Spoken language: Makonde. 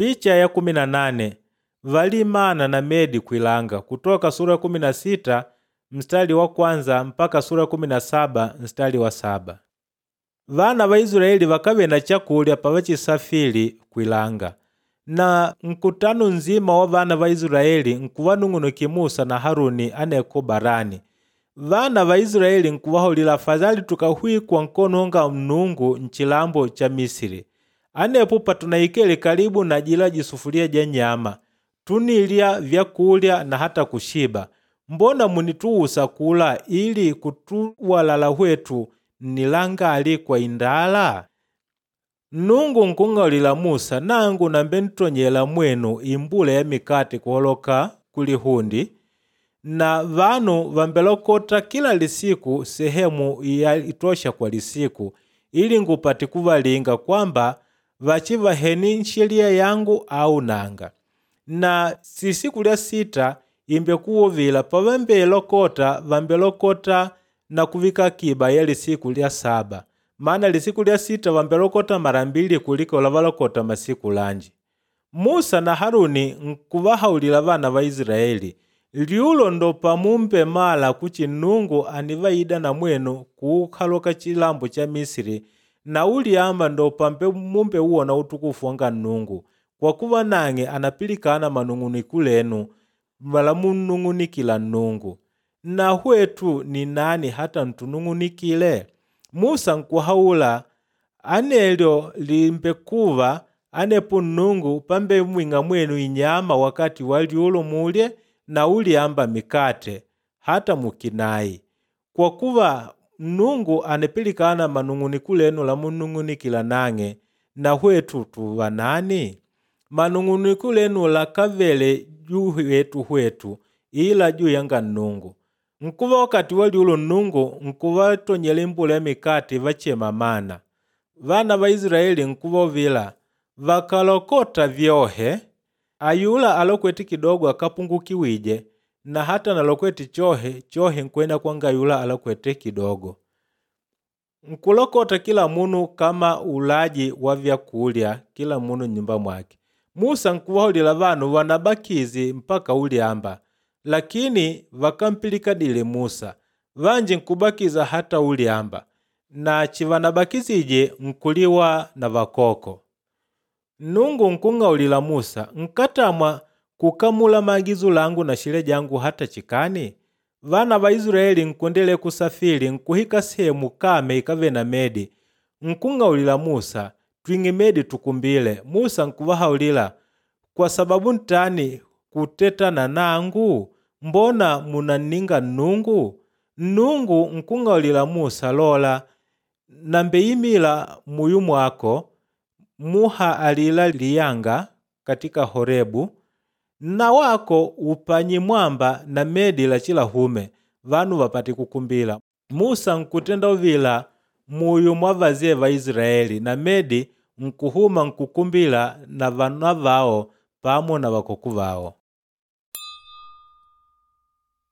Picha ya 18 valimana na medi kwilanga kutoka sura ya 16 mstari wa kwanza mpaka sura ya 17 mstari wa 7. Vana va Israeli vakave na chakulya pavachisafili kwilanga. Na nkutano nzima wa vana va Israeli nkuvanung'unukila Musa na Haruni aneko barani. Vana va Israeli nkuvaholila afadhali tukahwikwa nkono nga Nnungu nchilambo cha Misiri. Anepo patunaikele karibu na jila jisufulia ja nyama, tunilya vyakulya na hata kushiba. Mbona munituusa kula ili kutuwalala hwetu nnilangali kwa indala? Nnungu nkung'aulila Musa, nangu nambe ntonyela mwenu imbula ya mikate kuholoka kulihundi na vanu vambelokota kila lisiku sehemu ya itosha kwa lisiku ili ngupate kuvalinga kwamba vachivaheni sheria yangu au nanga. Na sisiku lya sita imbe kuwuvila pavambelokota vambelokota na kuvika akiba ya lisiku lya saba, maana lisiku lya sita vambelokota mara mbili kuliko lavalokota masiku lanji. Musa na Haruni nkuvahaulila vana va Israeli, lyulo ndo pamumbe mala kuchi Nnungu anivaida na mwenu kuukaloka chilambo cha Misiri na ulyamba ndo pambe mumbe uwona utukufu wanga Nnungu, kwa kuva nang'e anapilikana manung'uniku lenu wala munnung'unikila Nnungu. Na hwetu ni nani hata ntunung'unikile? Musa nkuhaula anelyo limbekuva anepo Nnungu pambe mwing'a mwenu inyama wakati wa lyulo mulye na ulyamba mikate hata mukinai. Kwa kuva Nnungu anapilikana manung'uniku lenu lamunung'unikila nang'e, na hwetu tuva nani? Manung'uniku lenu lakavele juu yetu hwetu ila juu yanga Nnungu. Nkuva wakati wa lyulo Nnungu nkuvatonyela imbula ya mikate vachema mana. Vana va Israeli nkuvovila vakalokota vyohe, ayula alokwete kidogo akapungukiwije na hata nalokwete chohe chohe nkwenda kwanga yula alokwete kidogo. Nkulokota kila munu kama ulaji wa vyakulya kila munu nyumba mwake. Musa nkuvaholila vanu wanabakizi mpaka ulyamba, lakini vakampilikadile Musa. Vanji nkubakiza hata ulyamba, na chivanabakizije nkuliwa na vakoko. Nnungu nkung'aulila Musa, nkatamwa kukamula maagizo langu na shile jangu hata chikani? Vana va Israeli nkundele kusafili nkuhika sehemu kame ikave na medi. Nkung'aulila Musa, twing'e medi tukumbile. Musa nkuvahaulila, kwa sababu ntani kutetana nangu? Mbona munanninga Nnungu? Nnungu nkung'aulila Musa, lola, nambeimila muyu mwako muha alila liyanga katika Horebu, na wako upanyi mwamba na medi lachilahume vanu vapate kukumbila. Musa nkutenda uvila muyu mwa vaze va Israeli na medi nkuhuma nkukumbila na vana vao pamo na vakoku vao.